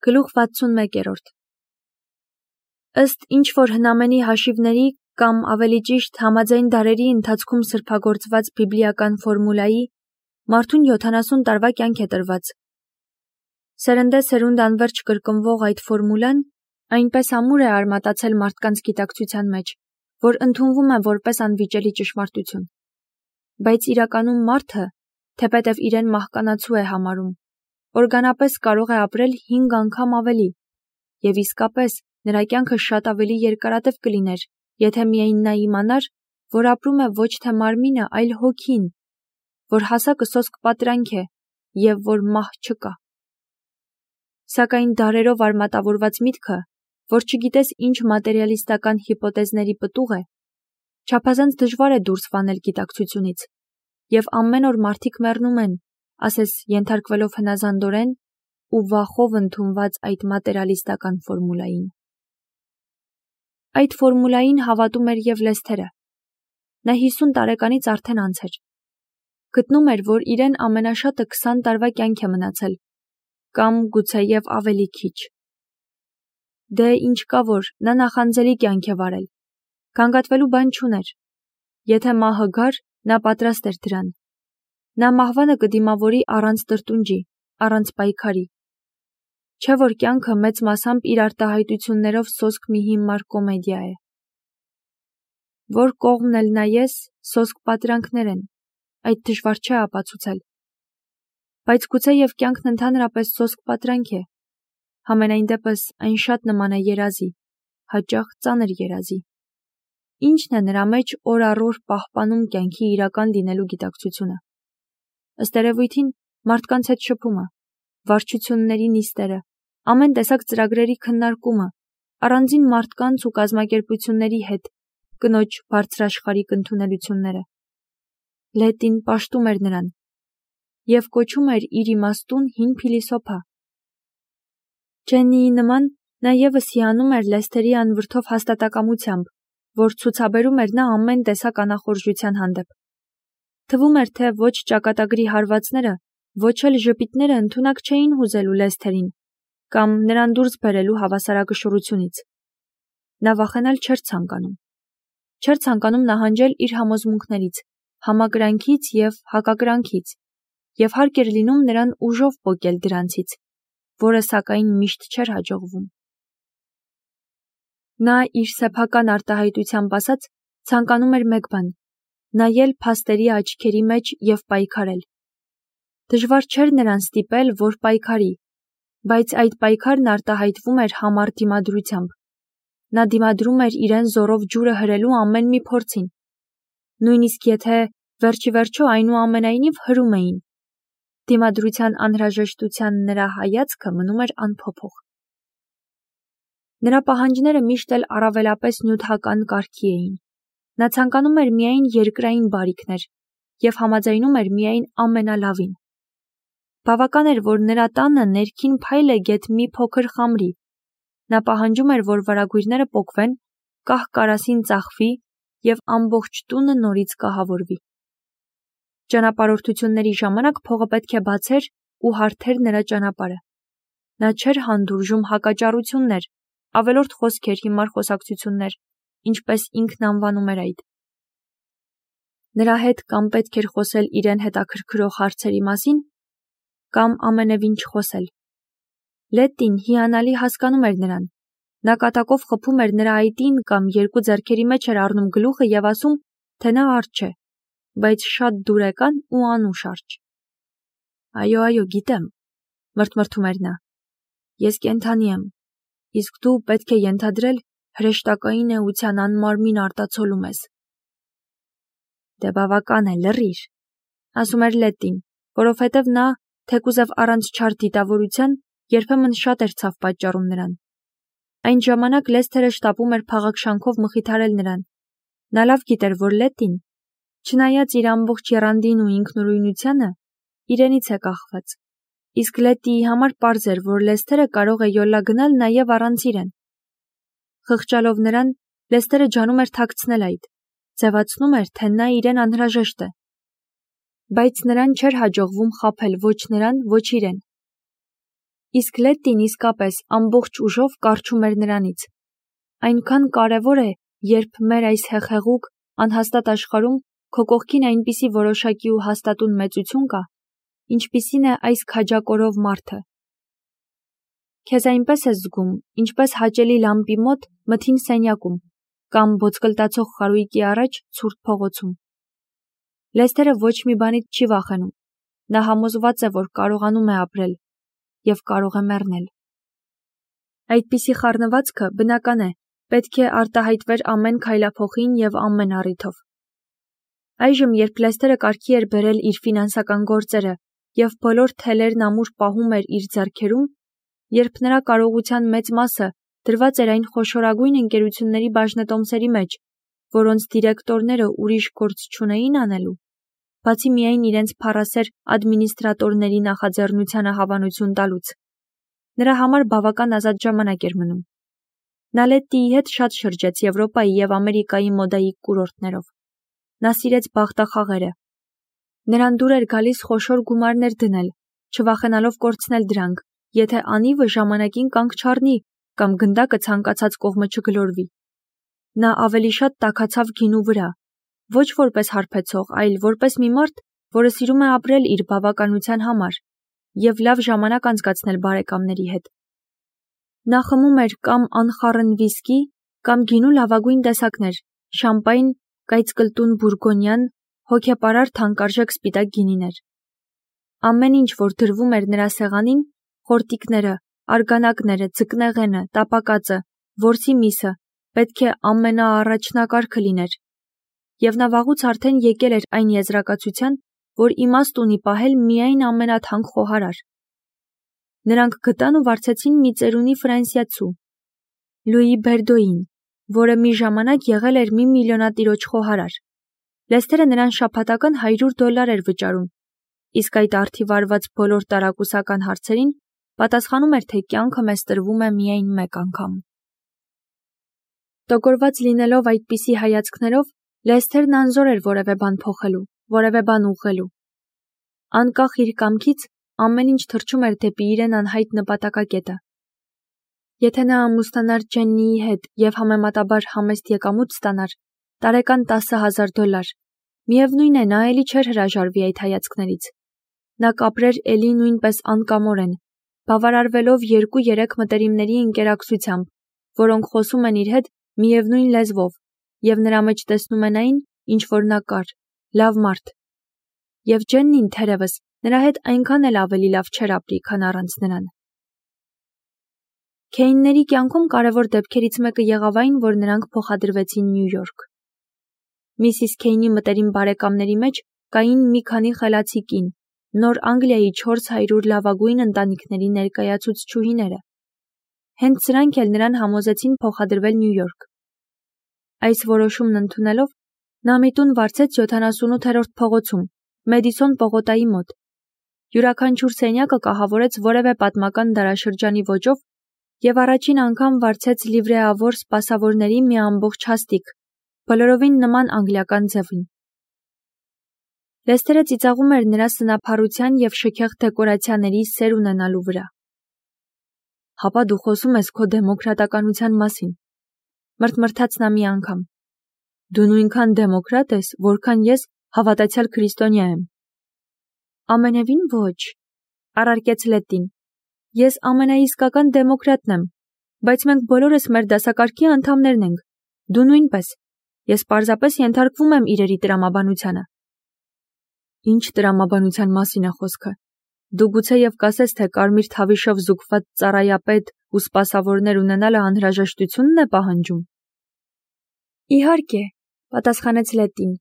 Գլուխ 61-րդ Ըստ ինչ-որ հնամենի հաշիվների կամ ավելի ճիշտ համաձայն դարերի ընթացքում սրբագործված բիբլիական ֆորմուլայի, մարդուն 70 տարվա կյանք է տրված։ Սերնդե սերունդ անվերջ կրկնվող այդ ֆորմուլան այնպես ամուր է արմատացել մարդկանց գիտակցության մեջ, որ ընդունվում է որպես անվիճելի ճշմարտություն։ Բայց իրականում մարդը, թեպետև իրեն մահկանացու է համարում, օրգանապես կարող է ապրել 5 անգամ ավելի, և իսկապես նրա կյանքը շատ ավելի երկարատև կլիներ, եթե միայն նա իմանար, որ ապրում է ոչ թե մարմինը, այլ հոգին, որ հասակը սոսկ պատրանք է և որ մահ չկա։ Սակայն դարերով արմատավորված միտքը, որ չգիտես ինչ մատերիալիստական հիպոթեզների պտուղ է, չափազանց դժվար է դուրս վանել գիտակցությունից, և ամեն օր մարդիկ մեռնում են, ասես ենթարկվելով հնազանդորեն ու վախով ընդունված այդ մատերիալիստական ֆորմուլային։ Այդ ֆորմուլային հավատում էր և Լեսթերը։ Նա 50 տարեկանից արդեն անց էր։ Գտնում էր, որ իրեն ամենաշատը 20 տարվա կյանք է մնացել, կամ գուցեև ավելի քիչ։ Դե ինչ կա որ, նա նախանձելի կյանք է վարել, գանգատվելու բան չուներ։ Եթե մահը գար, նա պատրաստ էր դրան։ Նա մահվանը կդիմավորի առանց տրտունջի, առանց պայքարի։ Չէ որ կյանքը մեծ մասամբ իր արտահայտություններով սոսկ մի հիմար կոմեդիա է։ Որ կողմն էլ նայես, սոսկ պատրանքներ են, այդ դժվար չէ ապացուցել։ Բայց գուցեև կյանքն ընդհանրապես սոսկ պատրանք է, համենայն դեպս այն շատ նման է երազի, հաճախ ծանր երազի։ Ինչն է նրա մեջ օր առ օր պահպանում կյանքի իրական լինելու գիտակցությունը։ Ըստ երևույթին, մարդկանց հետ շփումը, վարչությունների նիստերը, ամեն տեսակ ծրագրերի քննարկումը, առանձին մարդկանց ու կազմակերպությունների հետ, կնոջ բարձրաշխարհիկ ընդունելությունները։ Լետին պաշտում էր նրան և կոչում էր իր իմաստուն հին փիլիսոփա։ Ջեննիի նման նա ևս հիանում էր Լեսթերի անվրդով հաստատակամությամբ, որ ցուցաբերում էր նա ամեն տեսակ անախորժության հանդեպ։ Թվում էր, թե ոչ ճակատագրի հարվածները, ոչ էլ ժպիտները ընդունակ չէին հուզելու Լեսթերին կամ նրան դուրս բերելու հավասարակշռությունից։ Նա վախենալ չէր ցանկանում։ Չէր ցանկանում նահանջել իր համոզմունքներից, համակրանքից և հակակրանքից, և հարկ էր լինում նրան ուժով պոկել դրանցից, որը սակայն միշտ չէր հաջողվում։ Նա իր սեփական արտահայտությամբ ասած ցանկանում էր մեկ բան՝ նայել փաստերի աչքերի մեջ և պայքարել։ Դժվար չէր նրան ստիպել, որ պայքարի, բայց այդ պայքարն արտահայտվում էր համառ դիմադրությամբ։ Նա դիմադրում էր իրեն զոռով ջուրը հրելու ամեն մի փորձին։ Նույնիսկ եթե վերջիվերջո այնուամենայնիվ հրում էին, դիմադրության անհրաժեշտության նրա հայացքը մնում էր անփոփոխ։ Նրա պահանջները միշտ էլ առավելապես նյութական կարգի էին։ Նա ցանկանում էր միայն երկրային բարիքներ և համաձայնում էր միայն ամենալավին։ Բավական էր, որ նրա տանը ներքին փայլը գեթ մի փոքր խամրի։ Նա պահանջում էր, որ վարագույրները պոկվեն, կահ կարասին ծախվի և ամբողջ տունը նորից կահավորվի։ Ճանապարհորդությունների ժամանակ փողը պետք է բացեր ու հարթեր նրա ճանապարհը։ Նա չէր հանդուրժում հակաճառություններ, ավելորդ խոսքեր, հիմար խոսակցություններ, ինչպես ինքն անվանում էր այդ։ Նրա հետ կամ պետք էր խոսել իրեն հետաքրքրող հարցերի մասին, կամ ամենևին չխոսել։ Լետին հիանալի հասկանում էր նրան։ Նա կատակով խփում էր նրա այտին կամ երկու ձեռքերի մեջ էր առնում գլուխը և ասում, թե նա արջ է, բայց շատ դուրեկան ու անուշ արջ։ Այո, գիտեմ, մրթմրթում էր նա։ Ես կենդանի եմ, իսկ դու պետք է ենթադրել հրեշտակային էության անմարմին արտացոլում ես։ Դե բավական է, լռիր, ասում էր Լետին, որովհետև նա, թեկուզև առանց չար դիտավորության, երբեմն շատ էր ցավ պատճառում նրան։ Այն ժամանակ Լեսթերը շտապում էր փաղաքշանքով մխիթարել նրան։ Նա լավ գիտեր, որ Լետին, չնայած իր ամբողջ եռանդին ու ինքնուրույնությանը, իրենից է կախված, իսկ Լետիի համար պարզ էր, որ Լեսթերը կարող է յոլա գնալ նաև առանց իրեն։ Խղճալով նրան, Լեսթերը ջանում էր թաքցնել այդ, ձևացնում էր, թե նա իրեն անհրաժեշտ է։ Բայց նրան չէր հաջողվում խաբել ոչ նրան, ոչ իրեն։ Իսկ Լետտին իսկապես ամբողջ ուժով կառչում էր նրանից։ Այնքան կարևոր է, երբ մեր այս հեղեղուկ, անհաստատ աշխարհում քո կողքին այնպիսի որոշակի ու հաստատուն մեծություն կա, ինչպիսին է այս քաջակորով մարդը։ Քեզ այնպես ես զգում, ինչպես հաճելի լամպի մոտ մթին սենյակում կամ ոսկլտացող խարույկի առաջ ցուրտ փողոցում։ Լեսթերը ոչ մի բանից չի վախենում։ Նա համոզված է, որ կարողանում է ապրել և կարող է մեռնել։ Այդպիսի խառնվածքը բնական է, պետք է արտահայտվեր ամեն քայլափոխին և ամեն առիթով։ Այժմ, երբ Լեսթերը կարգի էր բերել իր ֆինանսական գործերը և բոլոր թելերն ամուր պահում էր իր ձեռքերում, երբ նրա կարողության մեծ մասը դրված էր այն խոշորագույն ընկերությունների բաժնետոմսերի մեջ, որոնց դիրեկտորները ուրիշ գործ չունեին անելու, բացի միայն իրենց փառասեր ադմինիստրատորների նախաձեռնությանը հավանություն տալուց, նրա համար բավական ազատ ժամանակ էր մնում։ Նա Լետտիի հետ շատ շրջեց Եվրոպայի և Ամերիկայի մոդայի կուրորտներով։ Նա սիրեց բախտախաղերը։ Նրան դուր էր գալիս խոշոր գումարներ դնել, չվախենալով կորցնել դրանք, եթե անիվը ժամանակին կանգ չառնի կամ գնդակը ցանկացած կողմը չգլորվի։ Նա ավելի շատ տաքացավ գինու վրա, ոչ որպես հարբեցող, այլ որպես մի մարդ, որը սիրում է ապրել իր բավականության համար և լավ ժամանակ անցկացնել բարեկամների հետ։ Նա խմում էր կամ անխառն վիսկի, կամ գինու լավագույն տեսակներ՝ շամպայն, կայծկլտուն բուրգոնյան, հոգեպարար թանկարժեք սպիտակ գինիներ։ Ամեն ինչ, որ դրվում էր նրա սեղանին, խորտիկները, արգանակները, ձկնեղենը, տապակածը, որսի միսը, պետք է ամենաառաջնակարգը լիներ։ Եվ նա վաղուց արդեն եկել էր այն եզրակացության, որ իմաստ ունի պահել միայն ամենաթանկ խոհարար։ Նրանք գտան ու վարձեցին մի ծերունի ֆրանսիացու՝ Լուի Բերդոյին, որը մի ժամանակ եղել էր մի միլիոնատիրոջ խոհարար։ Լեսթերը նրան շաբաթական $100 էր վճարում, իսկ այդ արդիվարված բոլոր տարակուսական հարցերին պատասխանում էր, թե կյանքը մեզ տրվում է միայն մեկ անգամ։ Տոգորված լինելով այդպիսի հայացքներով, Լեսթերն անզոր էր որևէ բան փոխելու, որևէ բան ուղղելու։ Անկախ իր կամքից, ամեն ինչ թռչում էր դեպի իրեն անհայտ նպատակակետը։ Եթե նա ամուսնանար Ջեննիի հետ և համեմատաբար համեստ եկամուտ ստանար, տարեկան $10,000, միևնույն է, նա էլի չէր հրաժարվի այդ հայացքներից։ Նա կապրեր էլի նույնպես անկամորեն, բավարարվելով 2-3 մտերիմների ընկերակցությամբ, որոնք խոսում են իր հետ միևնույն լեզվով և նրա մեջ տեսնում են այն, ինչ որ նա կար, լավ մարդ։ Եվ Ջեննին, թերևս, նրա հետ այնքան էլ ավելի լավ չէր ապրի, քան առանց նրան։ Քեյնների կյանքում կարևոր դեպքերից մեկը եղավ այն, որ նրանք փոխադրվեցին Նյու Յորք։ Միսիս Քեյնի մտերիմ բարեկամների մեջ կային մի քանի խելացի կին, Նոր Անգլիայի 400 լավագույն ընտանիքների ներկայացուցչուհիները։ Հենց սրանք էլ նրան համոզեցին փոխադրվել Նյու Յորք։ Այս որոշումն ընդունելով, նա մի տուն վարձեց 78-րդ փողոցում, Մեդիսոն պողոտայի մոտ։ Յուրաքանչյուր սենյակը կահավորեց որևէ պատմական դարաշրջանի ոճով և առաջին անգամ վարձեց լիվրեավոր սպասավորների մի ամբողջ հաստիք, բոլորովին նման անգլիական ձևին։ Լեսթերը ծիծաղում էր նրա սնափառության և շքեղ դեկորացիաների սեր ունենալու վրա։ Հապա դու խոսում ես քո դեմոկրատականության մասին, մրթմրթաց նա մի անգամ։ Դու նույնքան դեմոկրատ ես, որքան ես հավատացյալ քրիստոնյա եմ։ Ամենևին ոչ, առարկեց Լետտին։ Ես ամենաիսկական դեմոկրատն եմ, բայց մենք բոլորս մեր դասակարգի անդամներն ենք, դու նույնպես։ Ես պարզապես ենթարկվում եմ իրերի տրամաբանությանը։ Ինչ տրամաբանության մասին է խոսքը։ Դու գուցեև կասես, թե կարմիր թավիշով զուգված ծառայապետ ու սպասավորներ ունենալը անհրաժեշտությունն է պահանջում։ Իհարկե, պատասխանեց Լետտին։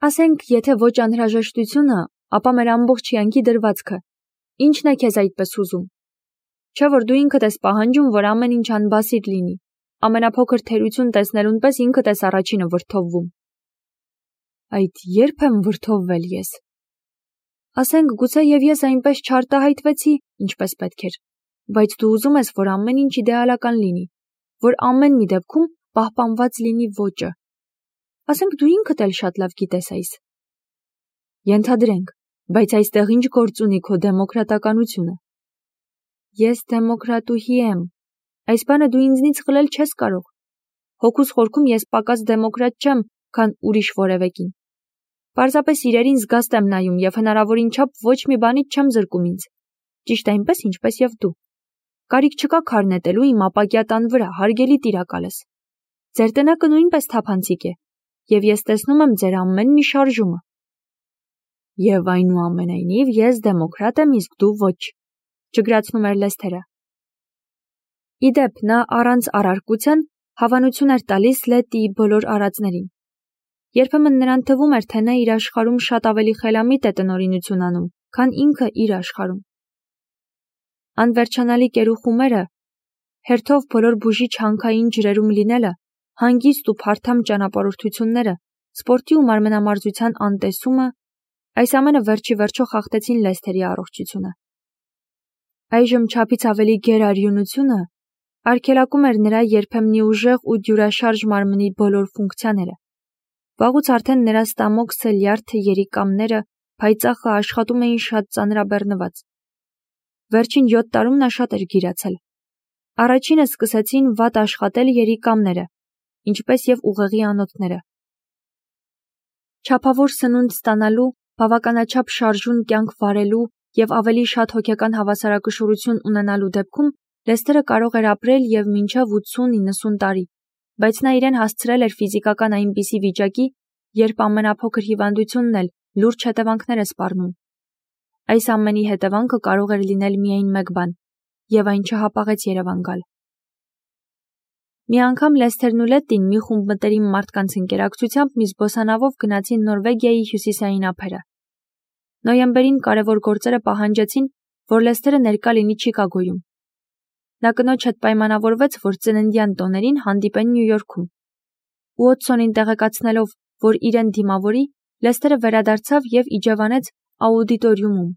Ասենք, եթե ոչ անհրաժեշտությունը, ապա մեր ամբողջ յանքի դրվածքը։ Ինչն է քեզ այդպես ուզում։ Չէ՞ որ դու ինքդ ես պահանջում, որ ամեն ինչ անբասիր լինի։ Ամենափոքր թերություն տեսնելուն պես ինքդ ես առաջինը վրդովվում։ Այդ երբ եմ վրդովվել ես։ Ասենք, գուցեև ես այնպես չարտահայտվեցի, ինչպես պետք էր, բայց դու ուզում ես, որ ամեն ինչ իդեալական լինի, որ ամեն մի դեպքում պահպանված լինի ոճը։ Ասենք դու ինքդ էլ շատ լավ գիտես այս։ Ենթադրենք, բայց այստեղ ինչ գործ ունի քո դեմոկրատականությունը։ Ես դեմոկրատուհի եմ։ Այս բանը դու ինձնից խլել չես կարող։ Հոգուս խորքում ես պակաս դեմոկրատ չեմ, քան ուրիշ որևէ կին։ Պարզապես իրերին զգաստ եմ նայում և հնարավորին չափ ոչ մի բանից չեմ զրկում ինձ։ Ճիշտ այնպես, ինչպես և դու։ Կարիք չկա քար նետելու իմ ապակյա տան վրա, հարգելի տիրակալս։ Ձեր տնակը նույնպես թափանցիկ է, և ես տեսնում եմ ձեր ամեն մի շարժումը։ Եվ այնուամենայնիվ ես դեմոկրատ եմ, իսկ դու ոչ, ջգրացնում էր Լեսթերը։ Իդեպ նա առանց առարկության հավանություն էր տալիս Լետիի բոլոր արածներին։ Երբեմն նրան թվում էր, թե նա իր աշխարհում շատ ավելի խելամիտ է տնօրինություն անում, քան ինքը իր աշխարհում։ Անվերջանալի կերուխումերը, հերթով բոլոր բուժիչ հանքային ջրերում լինելը, հանգիստ ու փարթամ ճանապարհորդությունները, սպորտի ու մարմնամարզության անտեսումը, այս ամենը վերջի վերջո խախտեցին Լեսթերի առողջությունը։ Այժմ չափից ավելի գերարյունությունը արգելակում էր նրա երբեմնի ուժեղ ու դյուրաշարժ մարմնի բոլոր ֆունկցիաները։ Վաղուց արդեն նրա ստամոքսը, լյարդը, երիկամները, փայծաղը աշխատում էին շատ ծանրաբեռնված։ Վերջին 7 տարում նա շատ էր գիրացել։ Առաջինը սկսեցին վատ աշխատել երիկամները, ինչպես և ուղեղի անոթները։ Չափավոր սնունդ ստանալու, բավականաչափ շարժուն կյանք վարելու և ավելի շատ հոգեկան հավասարակշռություն ունենալու դեպքում Լեսթերը կարող էր ապրել և մինչև 80-90 տարի, բայց նա իրեն հասցրել էր ֆիզիկական այնպիսի վիճակի, երբ ամենափոքր հիվանդությունն էլ լուրջ հետևանքներ է սպառնում։ Այս ամենի հետևանքը կարող էր լինել միայն մեկ բան, և այն չհապաղեց Երևան գալ։ Մի անգամ Լեսթերն ու Լետին մի խումբ մտերիմ մարդկանց ընկերակցությամբ մի զբոսանավով գնացին Նորվեգիայի հյուսիսային ափերը։ Նոյեմբերին կարևոր գործերը պահանջեցին, որ Լեսթերը ներկա լինի Չիկագոյում։ Նա կնոջ հետ պայմանավորվեց, որ ծննդյան տոներին հանդիպեն Նյու Յորքում։ Ուոտսոնին տեղեկացնելով, որ իրեն դիմավորի, Լեսթերը վերադարձավ և իջևանեց աուդիտորիումում։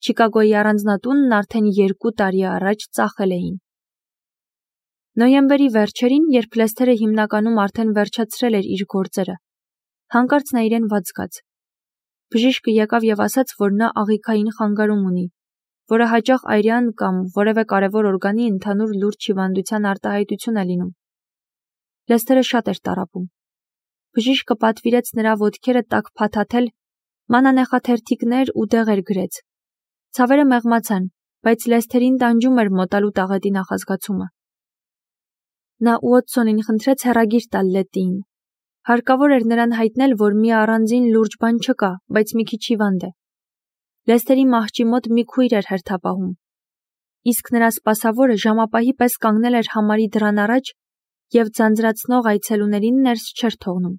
Չիկագոյի առանձնատունն արդեն 2 տարի առաջ ծախել էին։ Նոյեմբերի վերջերին, երբ Լեսթերը հիմնականում արդեն վերջացրել էր իր գործերը, հանկարծ նա իրեն վատ զգաց։ Բժիշկը եկավ և ասաց, որ նա աղիքային խանգարում ունի, որը հաճախ այրյան կամ որևէ կարևոր օրգանի ընդհանուր լուրջ հիվանդության արտահայտություն է լինում։ Լեսթերը շատ էր տառապում։ Բժիշկը պատվիրեց նրա ոտքերը տաք փաթաթել, մանանեխաթերթիկներ ու դեղեր գրեց։ Ցավերը մեղմացան, բայց Լեսթերին տանջում էր մոտալու տաղետի նախազգացումը։ Նա Ուոտսոնին խնդրեց հեռագիր տալ Լետիին։ Հարկավոր էր նրան հայտնել, որ մի առանձին լուրջ բան չկա, բայց մի քիչ հիվանդ է։ Լեսթերի մահճի մոտ մի քույր էր հերթապահում, իսկ նրա սպասավորը ժամապահի պես կանգնել էր համարի դռան առաջ և ձանձրացնող այցելուներին ներս չէր թողնում։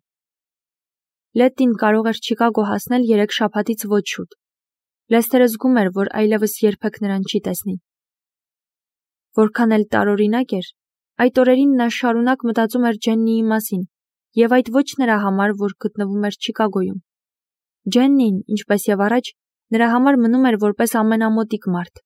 Լետին կարող էր Չիկագո հասնել 3 շաբաթից ոչ շուտ։ Լեսթերը զգում էր, որ այլևս երբեք նրան չի տեսնի։ Որքան էլ տարօրինակ էր, այդ օրերին նա շարունակ մտածում էր Ջեննիի մասին, և այդ ոչ նրա համար, որ գտնվում էր Չիկագոյում։ Ջեննին, ինչպես և առաջ, նրա համար մնում էր որպես ամենամոտիկ մարդ։